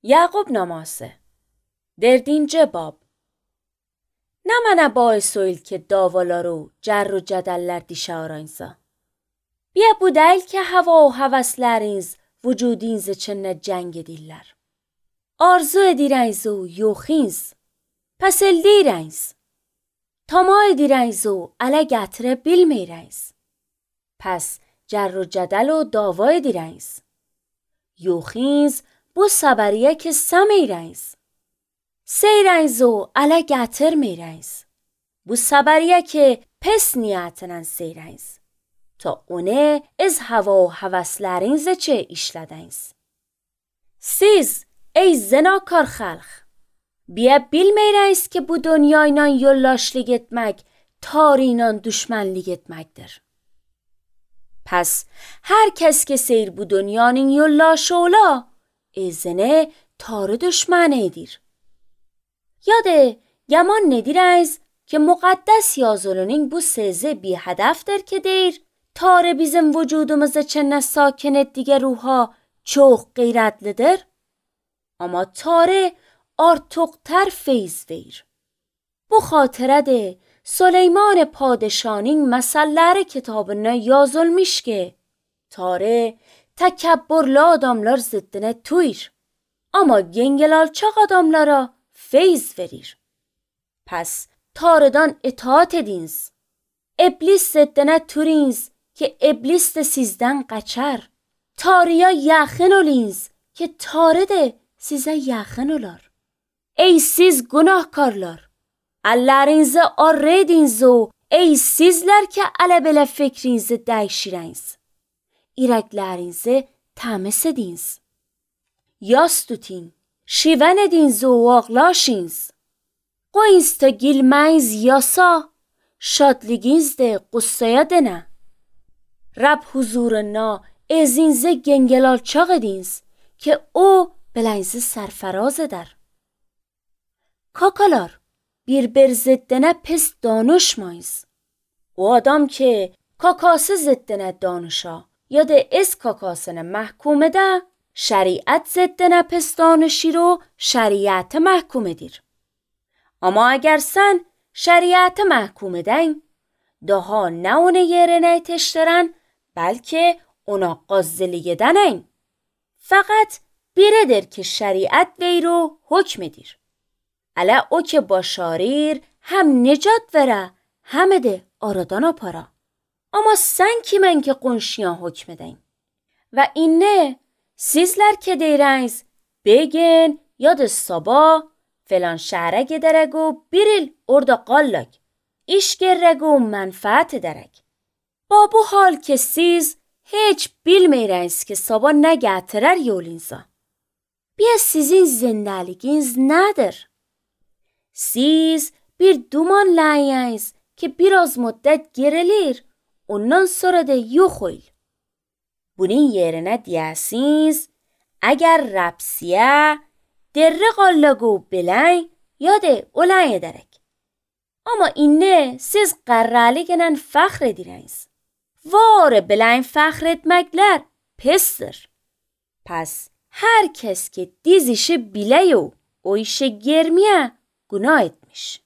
Yakup namazı. Derdinci bab. Ne mənə bais oyil ki davaları, cər و cədəllər dişarayınsa. Biya bu deyil ki hava و həvəsləriniz vücudiniz üçün cəng edirlər. Arzu edirəniz و yoxiniz. Pəs eldirəniz. Tama edirəniz و ələ gətirə bilməyirəniz. Pəs cər و cədəl و dava edirəniz. Yoxiniz bu səbəriyə ki səməyirəniz. Seyrəniz و ələ gətirməyirəniz. Bu səbəriyə ki pes niyyətlə seyrəniz. Ta onu az hava و həvəsləriniz çə işlədəniz. Siz ey zinakar xalq, biya bilməyirəniz ki bu dünyayla yoldaşlıq etmək, tarıyla düşmənlik etməkdir. Pəs hər kəs ki seyr bu dünyanın yoldaşı ola, ezine tarı düşməni edir. Yadə yaman nedirəniz ki müqəddəs yazılının bu sözü bir hədəfdir ki deyir, tarı bizim vücudumuz için sakin etdiği ruha çox qeyrətlidir. Amma tarı artıqtər feyz verir. Bu xatirədir Süleyman padişahın məsəlləri kitabına yazılmış ki, tarı təkəbbürlü adamlar ziddinə tuyur. Amma gengel alçaq adamlara feyz verir. Pəs tarıdan itaat ediniz. İblis ziddinə turiniz ki iblis də sizdən qaçar. Tarıya yaxın oliniz ki tarı da sizə yaxın olar. Ey siz günahkarlar! Əllərinizi arı ediniz و ey sizlər ki ələ belə fikrinizi dəyişirəniz. İrəklərinizi təmiz ediniz. Yas tutin, şivən ediniz و ağlaşınız. Qoyunuz ta gülməyiz yasa, şadlığınız da qüssəyə dənə. Rəbb huzuruna ezinizi gengel alçaq ediniz ki o belənizi sərfəraz edər. Kakalar, bir ziddinə pis danışmayız. O adam ki kakası ziddinə danışa ya da از kakasını محکوم edə, şəriət ziddinə pis danışır و şəriət محکوم edir. Amma əgər sən şəriəti محکوم edən, daha nə onu yerinə yetişdirən, bəlkə ona qazzılıq edənən. Fəqət biridir ki şəriət verir و hükm edir. Ələ o ki başarır, həm nicat verə, həm də aradan apara. Amma sən kimən ki qonşuya hükm edən? Və inə sizlər ki deyirəniz, begin ya da sabah filan şəhərə gedərək و bir il orada qallak, iş gerək و mənfəət edərək. Ba bu hal ki siz heç bilməyirəniz ki sabah nə gətirər yolunza. Biya sizin zindəliğiniz nədir? Siz bir duman ləyəniz ki biraz müddət gerilir, ondan sonra da yox oyl. Bunun yerinə deyəsiniz, əgər rəbsiyə, derri qallağı bilən ya da olan edərək. Amma inə siz qərrəliqlə fəxr edirəniz. Var bilən fəxr etməklər pisdir. Pəs hər kəs ki diz işi biləy و o işi germəyə günah etmiş.